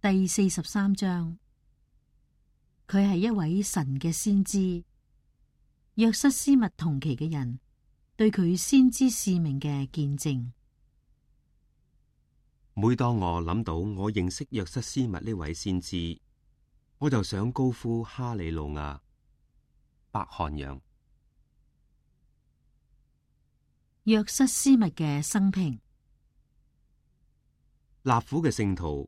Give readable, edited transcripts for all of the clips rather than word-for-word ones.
第43章，佢係一位神嘅先知。約瑟斯密同期嘅人對佢先知使命嘅見證。每當我諗到我認識約瑟斯密呢位先知，我就想高呼哈利路亞，伯翰楊。約瑟斯密嘅生平。納府嘅聖徒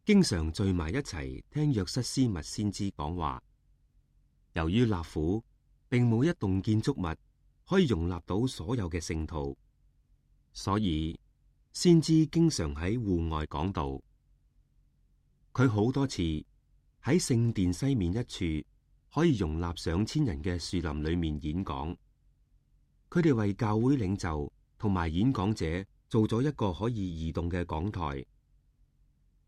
經常聚埋一齊聽約瑟斯密先知講話。由於納府並冇一棟建築物可以容納到所有嘅聖徒，所以先知經常喺戶外講道。佢好多次喺聖殿西面一處可以容納上千人嘅樹林裏面演講。佢哋為教會領袖同埋演講者做咗一個可以移動嘅講台，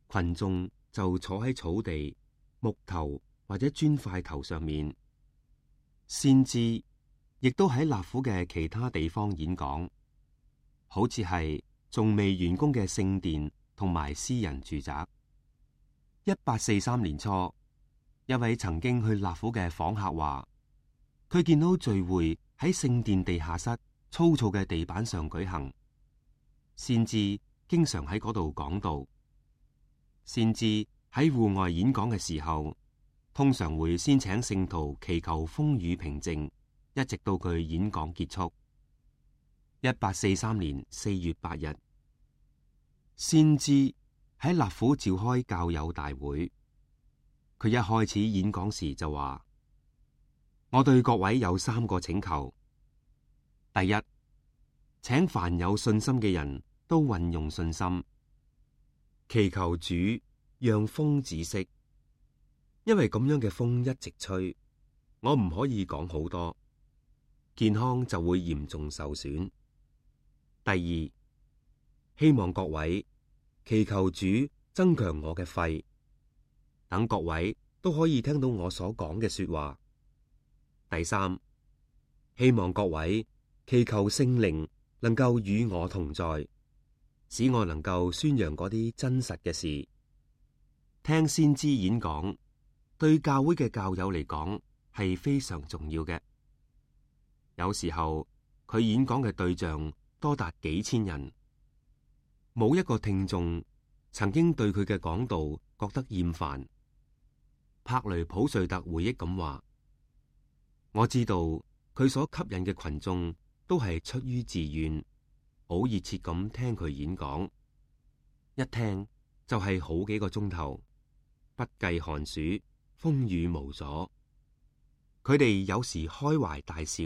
群眾就坐喺草地、木頭或者磚塊頭上面。先知亦都喺納府嘅其他地方演講，好似係仲未完工嘅聖殿同埋私人住宅。1843年初，一位曾經去納府嘅訪客話，佢見到聚會喺聖殿地下室粗糙嘅地板上舉行，先知經常喺嗰度講道。先知喺戶外演講嘅時候，通常會先請聖徒祈求風雨平靜，一直到佢演講結束。1843年4月8日，先知喺納府召開教友大會。佢一開始演講時就話：我對各位有3個請求。第一，請凡有信心嘅人都運用信心，祈求主讓風止息，因為咁樣嘅風一直吹，我唔可以講好多，健康就會嚴重受損。第二，希望各位祈求主增強我嘅肺，等各位都可以聽到我所講嘅說話。第三，希望各位祈求聖靈能夠與我同在，使我能夠宣揚嗰啲真實嘅事。聽先知演講，對教會嘅教友嚟講係非常重要嘅。有時候佢演講嘅對象多達幾千人，冇一個聽眾曾經對佢嘅講道覺得厭煩。柏雷普瑞特回憶咁話：我知道佢所吸引嘅群眾都係出於自願，好熱切咁聽佢演講，一聽就係好幾個鐘頭，不計寒暑，風雨無阻。佢哋有時開懷大笑，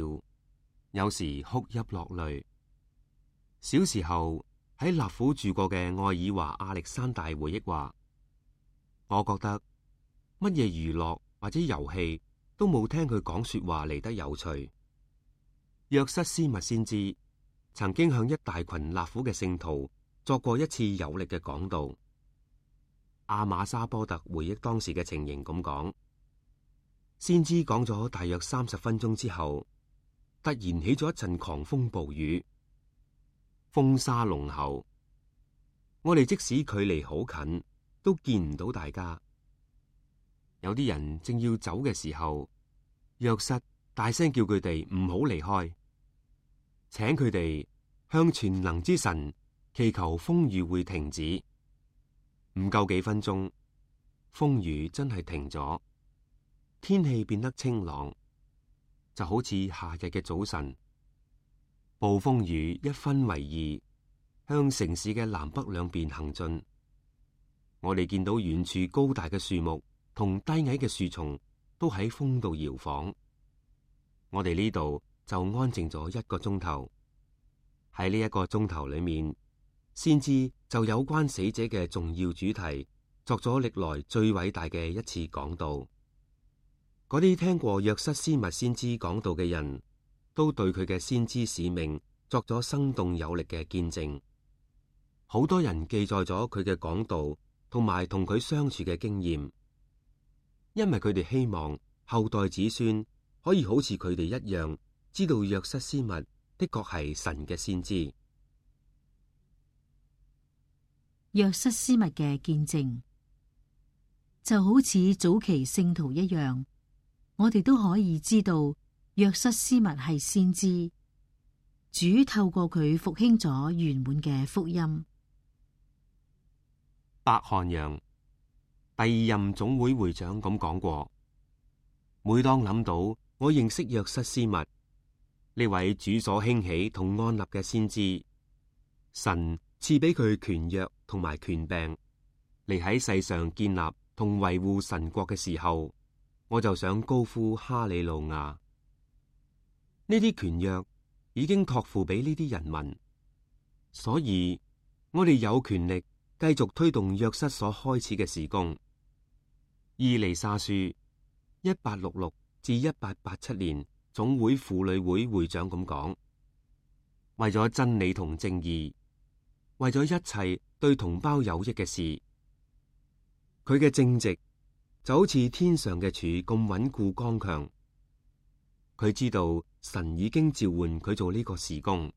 有時哭泣落淚。小時候喺納府住過嘅愛爾華亞歷山大回憶話：我覺得乜嘢娛樂或者遊戲都冇聽佢講說話嚟得有趣。約瑟斯密先知曾經向一大群納府嘅聖徒作過一次有力嘅講道。阿瑪莎波特回憶當時嘅情形咁講：先知講咗大約30分鐘之後，突然起咗一陣狂風暴雨，風沙濃厚，我哋即使距離好近，都見唔到大家。有啲人正要走嘅時候，約瑟大聲叫佢哋唔好離開，請佢哋向全能之神祈求風雨會停止。唔夠幾分鐘，風雨真係停咗，天氣變得清朗，就好似夏日嘅早晨。暴風雨一分為二，向城市嘅南北兩邊行進。我哋見到遠處高大嘅樹木同低矮嘅樹叢都喺風度搖晃。我哋呢度就安靜咗1個鐘頭。喺呢1個鐘頭裏面，先知就有關死者嘅重要主題作咗歷來最偉大嘅一次講道。嗰啲聽過約瑟斯密先知講道嘅人都對佢嘅先知使命作咗生動有力嘅見證。好多人記載咗佢嘅講道同埋同佢相處嘅經驗，因為佢哋希望後代子孫可以好似佢哋一樣，知道約瑟斯密的確係神嘅先知。約瑟斯密嘅見證。就好似早期聖徒一樣，我哋都可以知道約瑟斯密係先知，主透過佢復興咗圓滿嘅福音。白韓陽第二任總會會長咁講過：每當諗到我認識約瑟斯密呢位主所興起同安立嘅先知，神賜俾佢權約同埋權柄嚟喺世上建立同維護神國嘅時候，我就想高呼哈利路亞。呢啲權約已經託付俾呢啲人民，所以我哋有權力繼續推動約瑟所開始嘅事工。以利沙書1866至1887年總會婦女會會長咁講：為咗真理同正義，為咗一切對同胞有益嘅事，佢嘅正直就好似天上嘅柱咁穩固剛強。佢知道神已經召喚佢做呢個事工，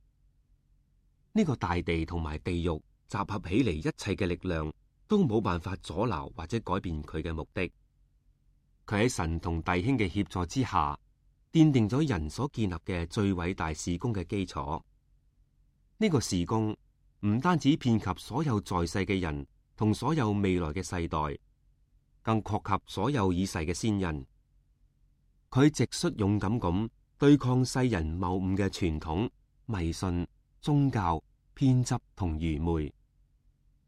呢個大地同埋地獄集合起嚟，一切嘅力量都冇辦法阻撓或者改變佢嘅目的。佢喺神同弟兄嘅協助之下，奠定咗人所建立嘅最偉大事工嘅基礎。呢個事工唔單止遍及所有在世嘅人同所有未來嘅世代，更擴及所有已逝嘅先人。佢直率勇敢咁對抗世人謬誤嘅傳統、迷信、宗教、偏執同愚昧，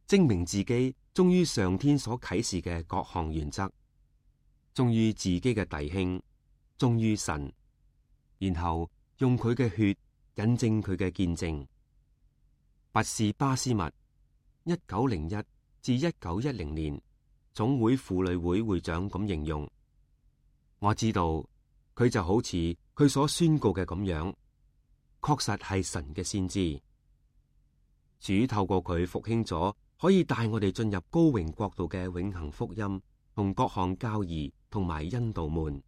證明自己忠於上天所啟示嘅各項原則，忠於自己嘅弟兄，忠於神，然後用佢嘅血引證佢嘅見證。拔士巴斯密1901至1910年總會婦女會會長咁形容：我知道佢就好似佢所宣告嘅咁樣，確實係神嘅先知。主透過佢復興咗可以帶我哋進入高榮國度嘅永恆福音同各項教義同埋恩道門。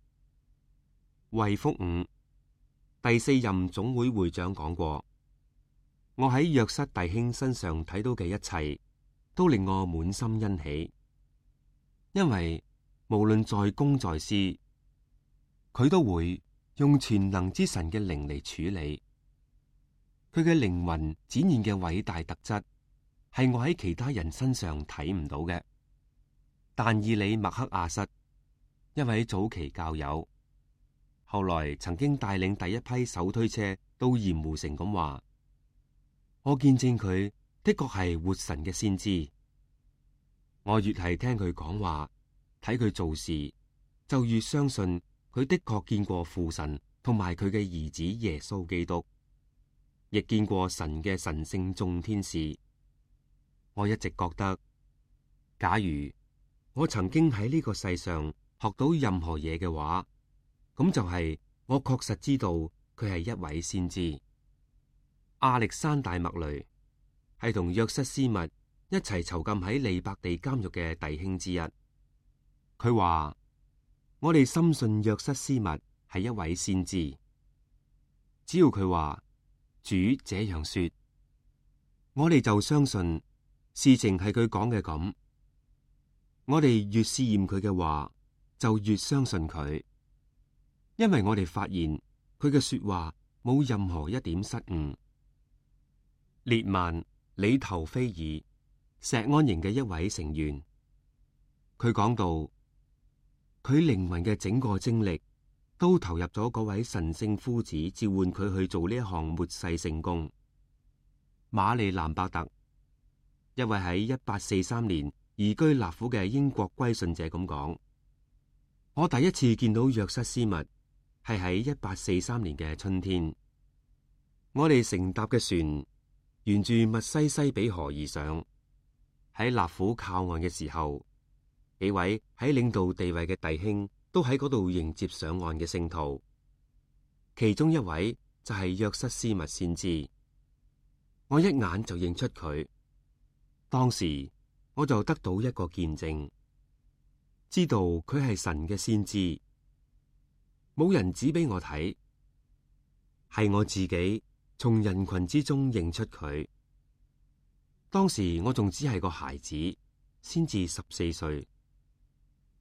衛福五第四任總會會長講過：我喺約瑟弟兄身上睇到嘅一切，都令我滿心欣喜，因為無論在公在私，佢都會用全能之神嘅靈嚟處理。佢嘅靈魂展現嘅偉大特質，係我喺其他人身上睇唔到嘅。但以理麥克亞瑟，一位早期教友，後來曾經帶領第一批手推車到鹽湖城咁話：我見證佢的確係活神嘅先知。我越係聽佢講話，睇佢做事，就越相信佢的確見過父神同埋佢嘅兒子耶穌基督，亦見過神嘅神聖眾天使。我一直覺得，假如我曾經喺呢個世上學到任何嘢嘅話，咁就係我確實知道佢係一位先知。亞歷山大麥雷係同約瑟斯密一齊囚禁喺利伯地監獄嘅弟兄之一。佢話：我哋深信約瑟斯密係一位先知，只要佢話主這樣說，我哋就相信事情係佢講嘅咁。我哋越試驗佢嘅話，就越相信佢，因為我哋發現佢嘅說話冇任何一點失誤。列曼里頭菲爾石安營嘅一位成員，佢講到佢靈魂嘅整個精力都投入咗嗰位神聖夫子召喚佢去做呢一項末世聖工。馬利蘭伯特，一位喺1843年移居納府嘅英國歸信者咁講：我第一次見到約瑟斯密係喺1843年嘅春天，我哋乘搭嘅船沿住密西西比河而上，喺納府靠岸嘅時候，幾位喺領導地位嘅弟兄都喺嗰度迎接上岸嘅聖徒，其中一位就係約瑟斯密先知。我一眼就認出佢，當時我就得到一個見證，知道佢係神嘅先知。冇人指俾我睇，係我自己從人群之中認出佢。當時我仲只係個孩子，先至14歲。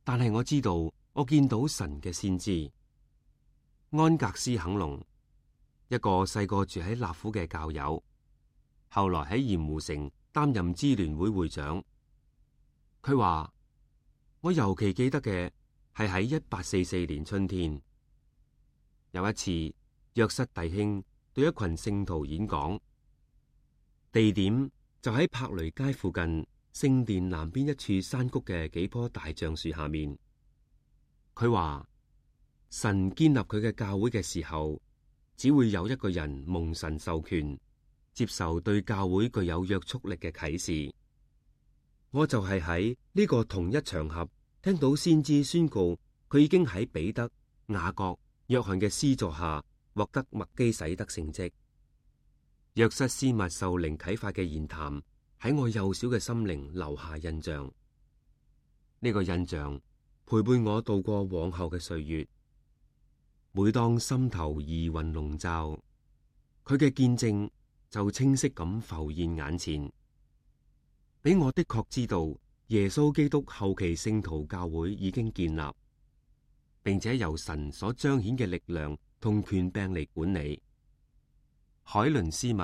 但係我知道我見到神嘅先知。安格斯肯隆，一個細個住喺納府嘅教友，後來喺鹽湖城擔任支聯會會長。佢話：我尤其記得嘅係喺1844年春天，有一次約瑟弟兄對一群聖徒演講，地點就喺柏雷街附近聖殿南邊一處山谷嘅幾棵大橡樹下面。佢話：神建立佢嘅教會嘅時候，只會有一個人蒙神授權，接受對教會具有約束力嘅啟示。我就係喺呢個同一場合聽到先知宣告，佢已經喺彼得、雅各、約翰嘅施助下獲得麥基洗德聖職。約瑟斯密受靈啟發嘅言談喺我幼小嘅心靈留下印象。呢個印象陪伴我度過往後嘅歲月。每當心頭疑雲籠罩，佢嘅見證就清晰咁浮現眼前，俾我的確知道耶穌基督後期聖徒教會已經建立，並且由神所彰顯嘅力量同權柄嚟管理。海倫斯密，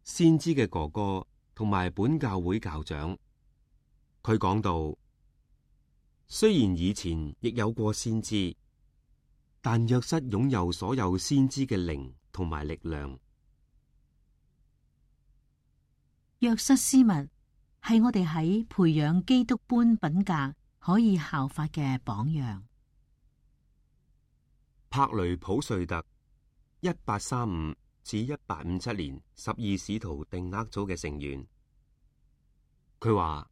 先知嘅哥哥同埋本教會教長，佢講到：雖然以前亦有過先知，但約瑟擁有所有先知嘅靈同埋力量。約瑟斯密係我哋喺培養基督般品格可以效法嘅榜樣。柏雷普瑞特1835至1857年12使徒定額組嘅成員，佢話：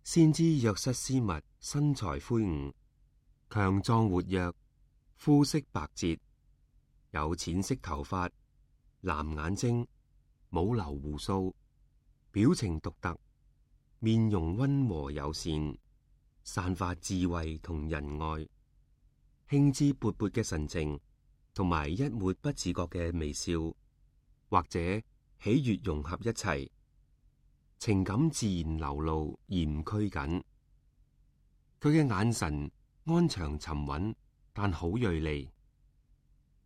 先知約瑟斯密身材魁梧，強壯活躍，膚色白潔，有淺色頭髮，藍眼睛，冇留鬍鬚，表情獨特，面容溫和友善，散發智慧同仁愛，興致勃勃嘅神情，同埋一抹不自覺嘅微笑，或者喜悅融合一齊，情感自然流露而唔拘謹。佢嘅眼神安詳沉穩，但好銳利，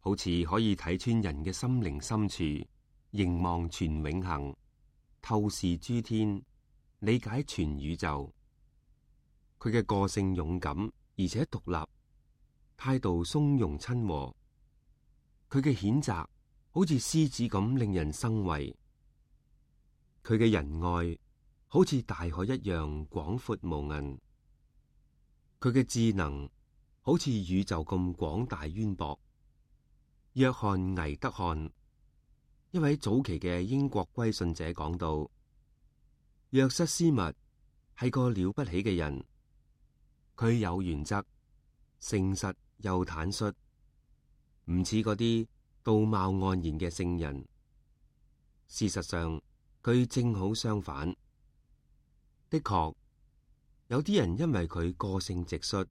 好似可以睇穿人嘅心靈深處，凝望全永恆，透視諸天，理解全宇宙。佢嘅個性勇敢而且獨立，態度從容親和。佢嘅譴責好似獅子咁令人生畏，佢嘅仁愛好似大海一樣廣闊無垠，佢嘅智能好似宇宙咁廣大淵博。約翰倪德漢，一位早期嘅英國歸信者講到：約瑟斯密係個了不起嘅人，佢有原則，誠實又坦率，唔似嗰啲道貌岸然嘅聖人。事實上，佢正好相反。的確，有啲人因為佢個性直率，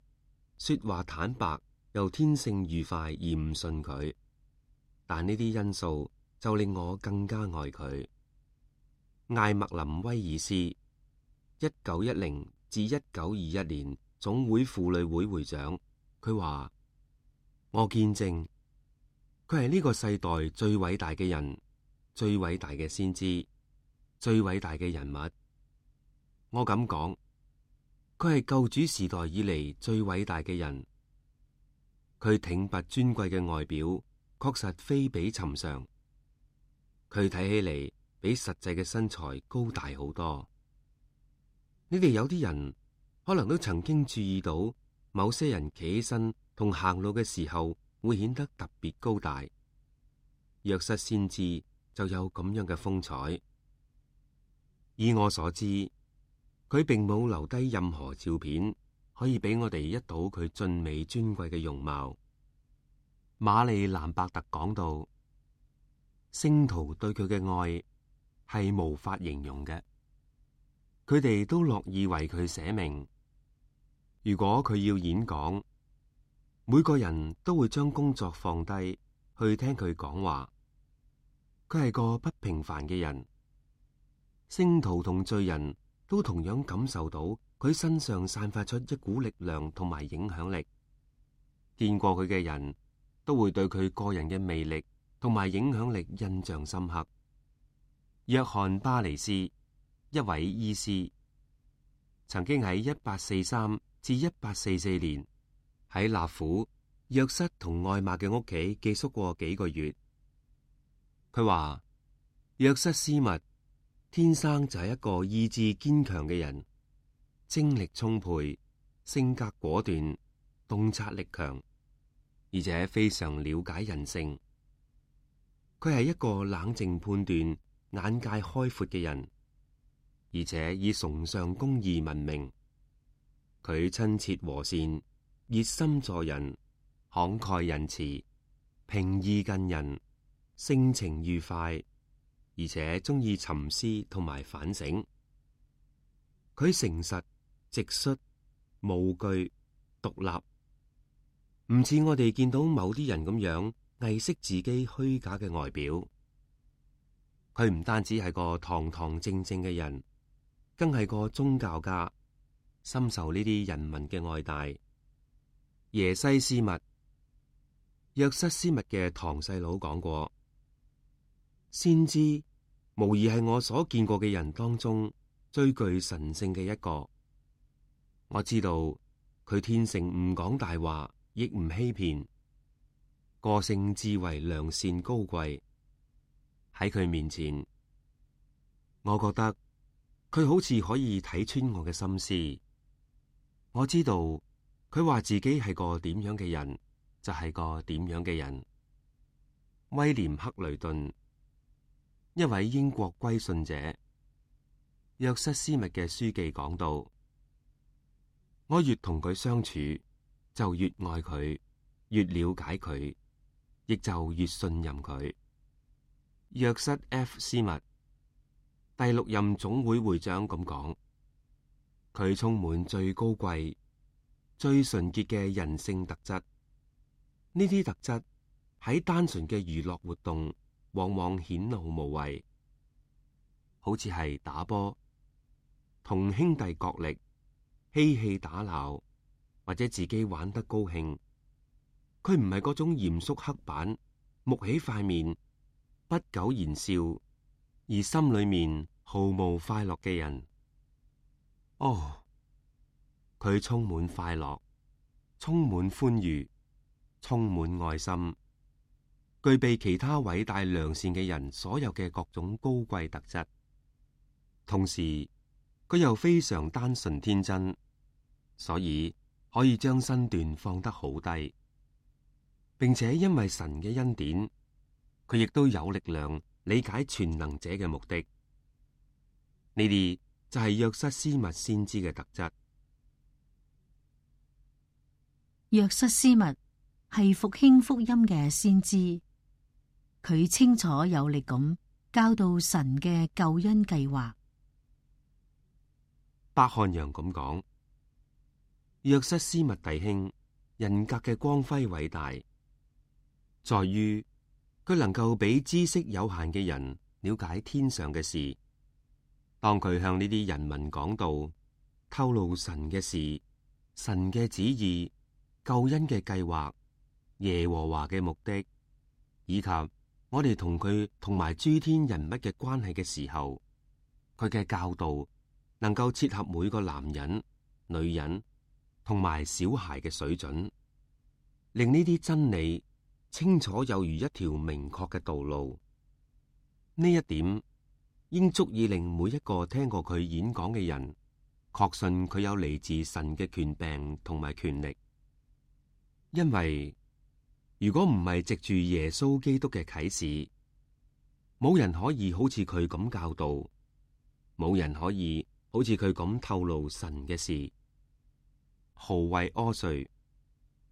說話坦白，又天性愉快而唔信佢，但呢啲因素就令我更加愛佢。艾默林威爾斯，1910至1921年總會婦女會會長，佢話：我見證佢係呢個世代最偉大嘅人，最偉大嘅先知，最偉大嘅人物。我咁講，佢係救主時代以嚟最偉大嘅人。佢挺拔尊貴嘅外表確實非比尋常，佢睇起嚟比實際嘅身材高大好多。你哋有啲人可能都曾經注意到，某些人企起身同行路嘅時候會顯得特別高大。約瑟先知就有咁樣嘅風采。以我所知，佢並冇留低任何照片，可以俾我哋一睹佢俊美尊貴嘅容貌。瑪麗蘭伯特講到，聖徒對佢嘅愛係無法形容嘅，佢哋都樂意為佢捨命。如果佢要演講，每個人都會將工作放低去聽佢講話。佢係個不平凡嘅人，聖徒同罪人都同樣感受到佢身上散發出一股力量同埋影響力，見過佢嘅人都會對佢個人嘅魅力同埋影響力印象深刻。約翰巴尼斯，一位醫師，曾經喺1843至1844年喺納府約瑟同愛瑪嘅屋企寄宿過幾個月。佢話約瑟斯密天生就係一個意志堅強嘅人，精力充沛，性格果斷，洞察力強，而且非常了解人性。佢係一個冷靜判斷、眼界開闊嘅人，而且以崇尚公義聞名。佢親切和善，熱心助人，慷慨仁慈，平易近人，性情愉快，而且中意沉思同埋反省。佢誠實、直率、無懼、獨立，唔似我哋見到某啲人咁樣偽飾自己虛假嘅外表。佢唔單止係個堂堂正正嘅人，更係個宗教家，深受呢啲人民嘅愛戴。耶西斯密，約瑟斯密嘅堂細佬講過，先知無疑係我所見過嘅人當中最具神聖嘅一個。我知道佢天性唔講大話，亦唔欺騙，個性至為良善高貴。喺佢面前，我覺得佢好似可以睇穿我嘅心思。我知道佢話自己係個點樣嘅人，就係個點樣嘅人。威廉克雷頓，一位英國歸信者，約瑟斯密嘅書記講到，我越同佢相處，就越愛佢，越了解佢，亦就越信任佢。約瑟 F 斯密，第6任總會會長咁講，佢充滿最高貴、最純潔嘅人性特質。呢啲特質喺單純嘅娛樂活動往往顯露無遺，好似係打波、同兄弟角力、嬉戲打鬧，或者自己玩得高興。佢唔係嗰種嚴肅刻板、木起塊面、不苟言笑，而心裏面毫無快樂嘅人。哦，佢充滿快樂，充滿歡愉，充滿愛心，具備其他偉大良善嘅人所有嘅各種高貴特質。同時，佢又非常單純天真，所以可以將身段放得好低，並且因為神嘅恩典，佢亦都有力量理解全能者嘅目的。呢啲就係約瑟斯密先知嘅特質。約瑟斯密係復興福音嘅先知，佢清楚有力咁教導神嘅救恩計劃。伯漢陽咁講，約瑟斯密弟兄人格嘅光輝偉大，在於佢能夠俾知識有限嘅人了解天上嘅事。當佢向呢啲人民講道，透露神嘅事、神嘅旨意、救恩嘅計劃、耶和華嘅目的，以及我哋同佢同埋諸天人物嘅關係嘅時候，佢嘅教導能夠切合每個男人、女人同埋小孩嘅水準，令呢啲真理清楚有如一條明確嘅道路。呢一點應足以令每一個聽過佢演講嘅人確信佢有嚟自神嘅權柄同埋權力。因為如果唔係藉住耶穌基督嘅啟示，冇人可以好似佢咁教導，冇人可以好似佢咁透露神嘅事。豪惠柯瑞，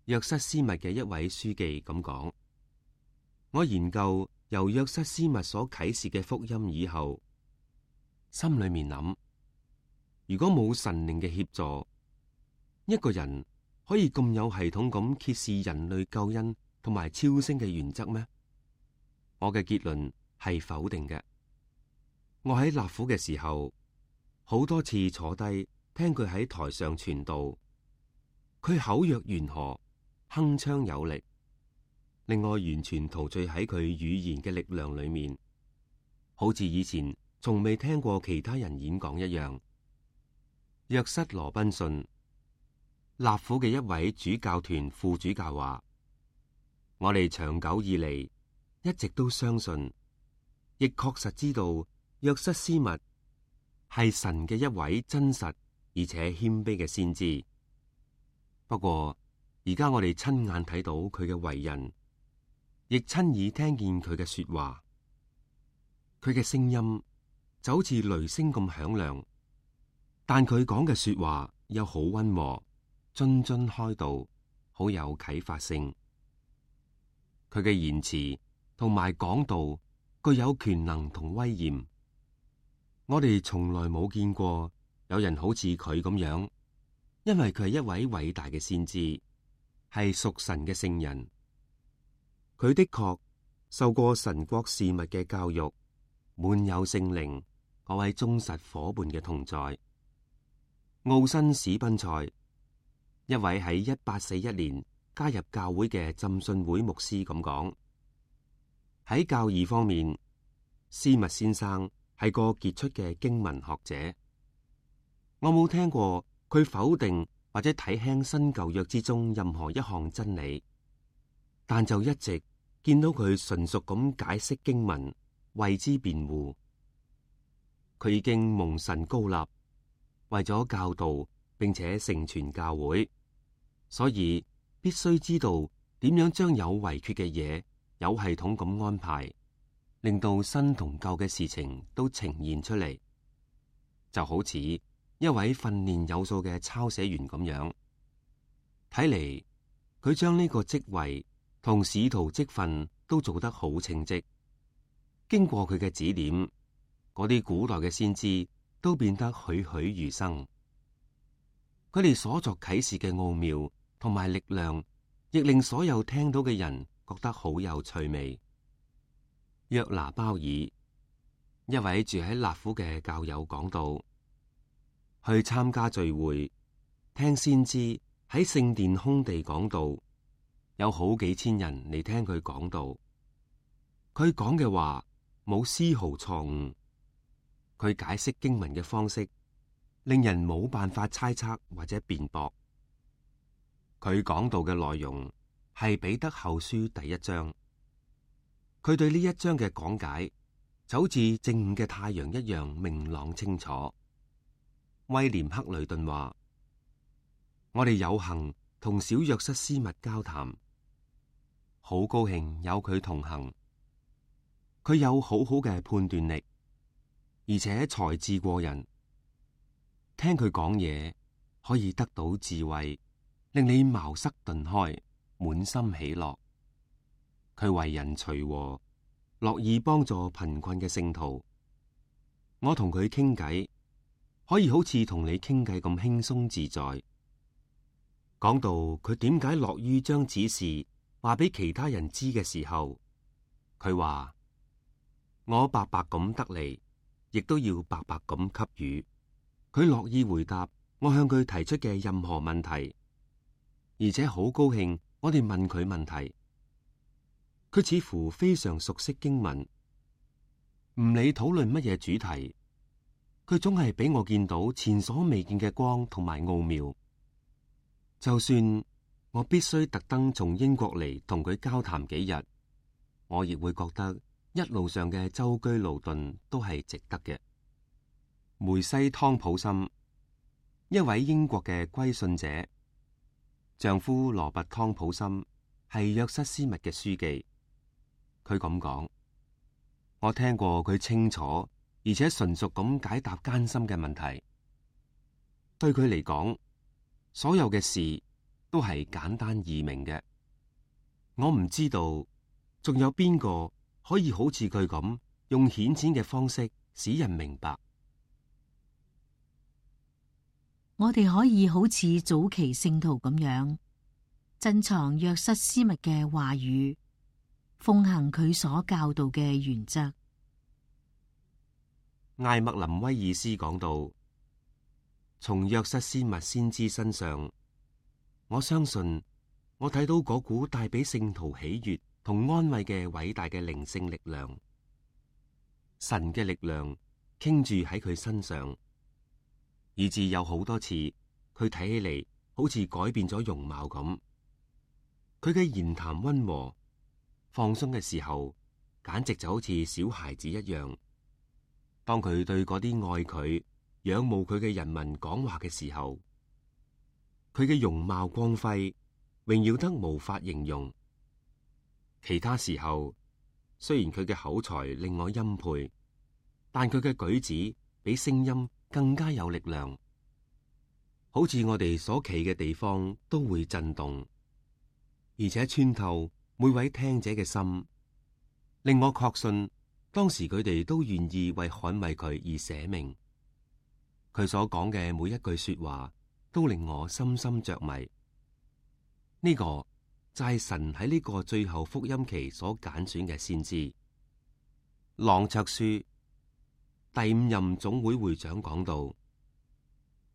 約瑟斯密嘅一位書記咁講，我研究由約瑟斯密所啟示嘅福音以後，心裏面諗，如果冇神靈嘅協助，一個人可以咁有系統咁揭示人類救恩同埋超升嘅原則咩？我嘅結論係否定嘅。我喺納府嘅時候，好多次坐低聽佢喺台上傳道，佢口若懸河，鏗鏘有力，令我完全陶醉喺佢語言嘅力量裏面，好似以前從未聽過其他人演講一樣。約瑟羅賓遜，納府嘅一位主教團副主教話：我哋長久以嚟一直都相信，亦確實知道約瑟斯密係神嘅一位真實而且謙卑嘅先知。不過而家我哋親眼睇到佢嘅為人，亦親耳聽見佢嘅說話，佢嘅聲音就好似雷聲咁響亮，但佢講嘅說話又好溫和，津津開導，好有啟發性。佢嘅言辭同埋講道具有權能同威嚴，我哋從來冇見過有人好似佢咁樣，因為佢係一位偉大嘅先知，係屬神嘅聖人。佢的確受過神國事物嘅教育，滿有聖靈嗰位忠實夥伴嘅同在。奧辛史賓塞，一位喺1841年加入教會嘅浸信會牧師咁講：喺教義方面，斯密先生係個傑出嘅經文學者。我冇聽過佢否定或者睇輕新舊約之中任何一項真理，但就一直見到佢純熟咁解釋經文，為之辯護。佢已經蒙神膏立，為咗教導並且成全教會，所以必須知道點樣將有遺缺嘅嘢有系統咁安排，令到新同舊嘅事情都呈現出嚟，就好似一位訓練有素嘅抄寫員咁樣。睇嚟佢將呢個職位同使徒職分都做得好稱職。經過佢嘅指點，嗰啲古代嘅先知都變得栩栩如生。佢哋所作啟示嘅奧妙同埋力量，亦令所有聽到嘅人覺得好有趣味。約拿鮑爾，一位住喺納府嘅教友講道，去參加聚會，聽先知喺聖殿空地講道，有好幾千人嚟聽佢講道。佢講嘅話冇絲毫錯誤，佢解釋經文嘅方式令人冇辦法猜測或者辯駁。佢講道嘅內容係彼得後書第1章，佢對呢一章嘅講解就好似正午嘅太陽一樣明朗清楚。威廉克雷頓話：我哋有幸同小約瑟斯密交談，好高興有佢同行。佢有好好嘅判斷力，而且才智過人。聽佢講嘢可以得到智慧，令你茅塞頓開，滿心喜樂。佢為人隨和，樂意幫助貧困嘅聖徒。我同佢傾偈，可以好似同你傾偈咁輕鬆自在。講到佢點解樂於將指示話俾其他人知嘅時候，佢話：我白白咁得嚟，亦都要白白咁給予。佢樂意回答我向佢提出嘅任何問題，而且好高興我哋問佢問題。佢似乎非常熟悉經文，唔理討論乜嘢主題，佢總係俾我見到前所未見嘅光同埋奧妙。就算我必須特登從英國嚟同佢交談幾日，我亦會覺得一路上嘅舟車勞頓都係值得嘅。梅西湯普森，一位英國嘅歸信者，丈夫羅拔湯普森係約瑟斯密嘅書記。佢咁講：我聽過佢清楚而且純熟咁解答艱深嘅問題。對佢嚟講，所有嘅事都係簡單易明嘅。我唔知道仲有邊個可以好似佢咁用顯淺嘅方式使人明白。我哋可以好似早期聖徒咁樣珍藏約瑟斯密嘅話語，奉行佢所教導嘅原則。艾默林威爾斯講到，從約瑟斯密先知身上，我相信我睇到嗰股帶俾聖徒喜悅同安慰嘅偉大嘅靈性力量。神嘅力量傾注喺佢身上，以致有好多次佢睇起嚟好似改變咗容貌咁。佢嘅言談溫和，放鬆嘅時候，簡直就好似小孩子一樣。當佢對嗰啲愛佢、仰慕佢嘅人民講話嘅時候，佢嘅容貌光輝，榮耀得無法形容。其他時候，雖然佢嘅口才令我欽佩，但佢嘅舉止比聲音更加有力量，好似我哋所企嘅地方都會震動，而且穿透每位聽者嘅心，令我確信當時佢哋都願意為捍衛佢而捨命。佢所講嘅每一句說話都令我深深着迷。呢個就係神喺呢個最後福音期所揀選嘅先知。朗卓書第5任總會會長講到，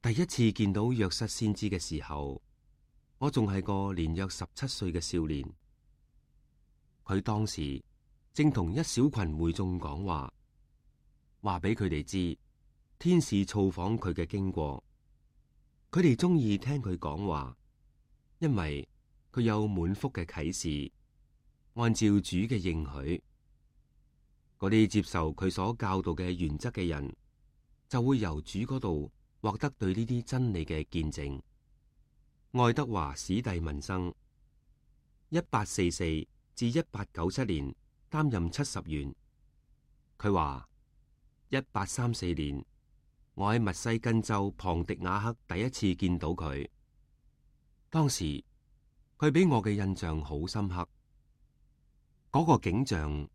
第一次見到約瑟先知嘅時候，我仲係個年約17歲嘅少年。佢當時正同一小群會眾講話，話俾佢哋知天使造訪佢嘅經過。佢哋中意聽佢講話，因為佢有滿腹嘅啟示，按照主嘅應許。嗰啲接受佢所教導嘅原則嘅人，就會由主嗰度獲得對呢啲真理嘅見證。愛德華史蒂文生1844至1897年擔任70員。佢話1834年，我喺密西根州龐迪瓦克第一次見到佢，當時佢俾我嘅印象好深刻。嗰個景象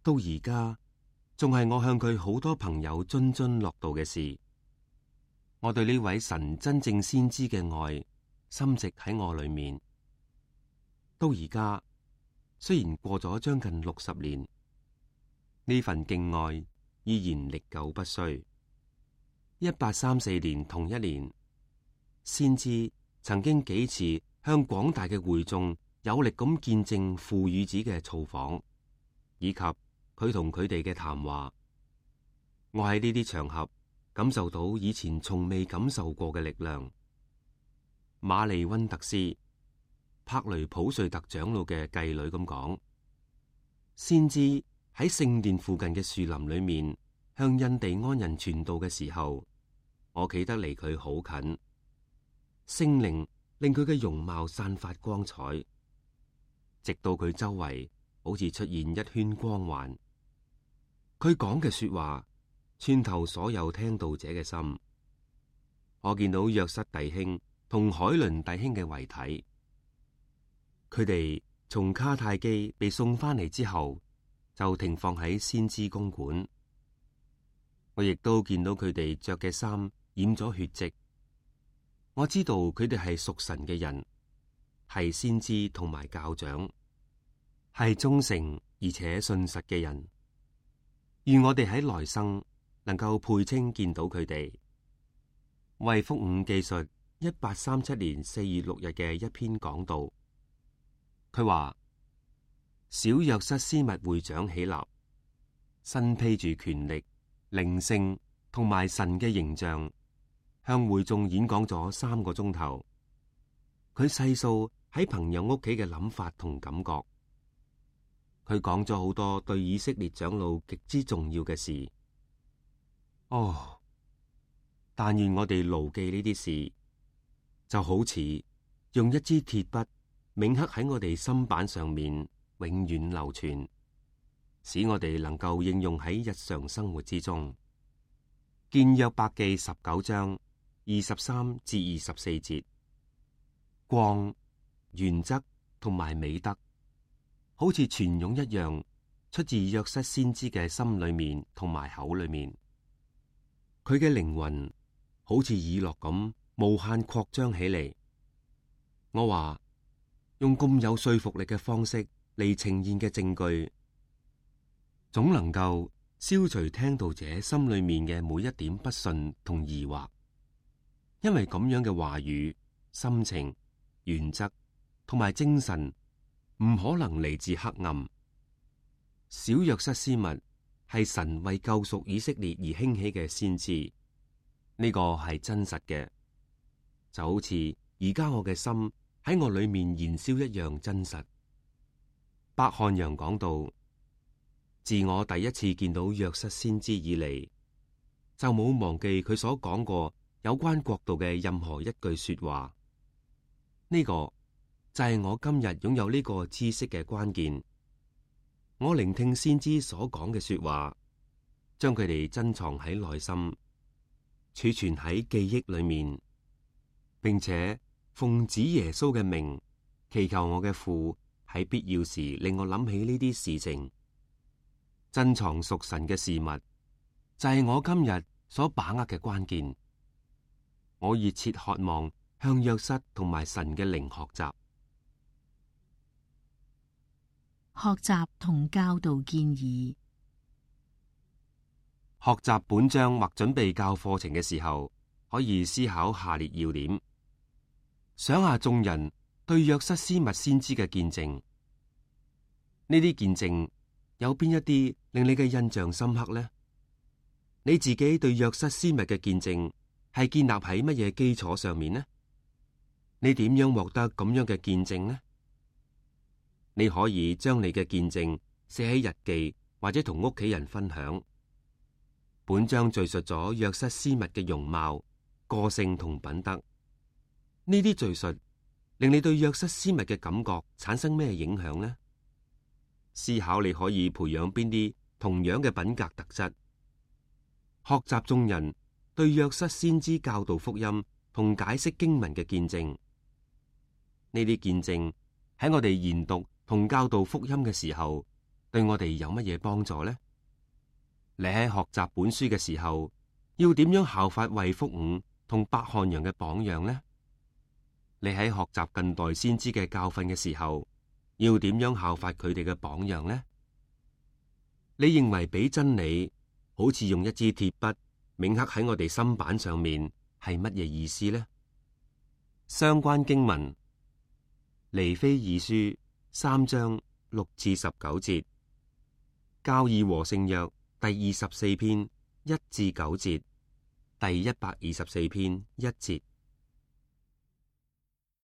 到而家仲係我向佢好多朋友津津樂道嘅事。我對呢位神真正先知嘅愛深植喺我裏面。到而家雖然過咗將近60年，呢份敬愛依然歷久不衰。1834年同一年，先知曾經幾次向廣大嘅會眾有力咁見證父與子嘅造訪，以及佢同佢哋嘅談話。我喺呢啲場合感受到以前從未感受過嘅力量。瑪麗溫特斯、柏雷普瑞特長老嘅繼女咁講，先知喺聖殿附近嘅樹林裏面向印第安人傳道嘅時候，我企得離佢好近，聖靈令佢嘅容貌散發光彩，直到佢周圍好似出現一圈光環。佢講嘅說話穿透所有聽道者嘅心。我見到約瑟弟兄同海倫弟兄嘅遺體，佢哋從卡泰基被送翻嚟之後，就停放喺先知公館。我亦都見到佢哋着嘅衫染咗血跡。我知道佢哋係屬神嘅人，係先知同埋教長，係忠誠而且信實嘅人。願我哋喺來生能夠配稱見到佢哋。為福五記述1837年4月6日嘅一篇講道，佢話：小約瑟斯密會長起立，身披住權力、靈性同埋神嘅形象，向會眾演講咗3個鐘頭。佢細數喺朋友屋企嘅諗法同感覺。佢講咗好多對以色列長老極之重要嘅事。哦，但願我哋牢記呢啲事，就好似用一支鐵筆銘刻喺我哋心板上面，永遠流傳，使我哋能夠應用喺日常生活之中。見約伯記19章23至24節，光、原則同埋美德，好似泉湧一樣，出自約瑟先知嘅心裏面同埋口裏面。佢嘅靈魂好似以諾咁無限擴張起嚟。我話用咁有說服力嘅方式嚟呈現嘅證據，總能夠消除聽道者心裏面嘅每一點不信同疑惑。因為咁樣嘅話語、心情、原則同埋精神唔可能嚟自黑暗。小約瑟斯密係神為救贖以色列而興起嘅先知，呢個係真實嘅，就好似而家我嘅心喺我裏面燃燒一樣真實。伯漢陽講到，自我第一次見到約瑟先知以嚟，就冇忘記佢所講過有關國度嘅任何一句說話。呢個就係我今日擁有呢個知識嘅關鍵。我聆聽先知所講嘅說話，將佢哋珍藏喺內心，儲存喺記憶裏面，並且奉子耶穌嘅名，祈求我嘅父喺必要時令我諗起呢啲事情。珍藏屬神嘅事物，就係我今日所把握嘅關鍵。我熱切渴望向約瑟同埋神嘅靈學習。學習同教導建議。學習本章或準備教課程嘅時候，可以思考下列要點：想下眾人對約瑟斯密先知嘅見證，呢啲見證有邊一啲令你嘅印象深刻呢？你自己對約瑟斯密嘅見證係建立喺乜嘢基礎上面呢？你點樣獲得咁樣嘅見證呢？你可以將你嘅見證寫喺日記，或者同屋企人分享。本章敘述咗約瑟斯密嘅容貌、個性同品德。呢啲敘述令你對約瑟斯密嘅感覺產生咩影響呢？思考你可以培養邊啲同樣嘅品格特質。學習眾人對約瑟先知教導福音同解釋經文嘅見證。呢啲見證喺我哋研讀同教導福音嘅時候，對我哋有乜嘢幫助呢？你喺學習本書嘅時候，要點樣效法衛福午同伯漢陽嘅榜樣呢？你喺學習近代先知嘅教訓嘅時候，要點樣效法佢哋嘅榜樣呢？你認為俾真理好似用一支鐵筆銘刻喺我哋心板上面係乜嘢意思呢？相關經文：尼非二書3章6至19節，教義和聖約第24篇1至9節，第124篇1節。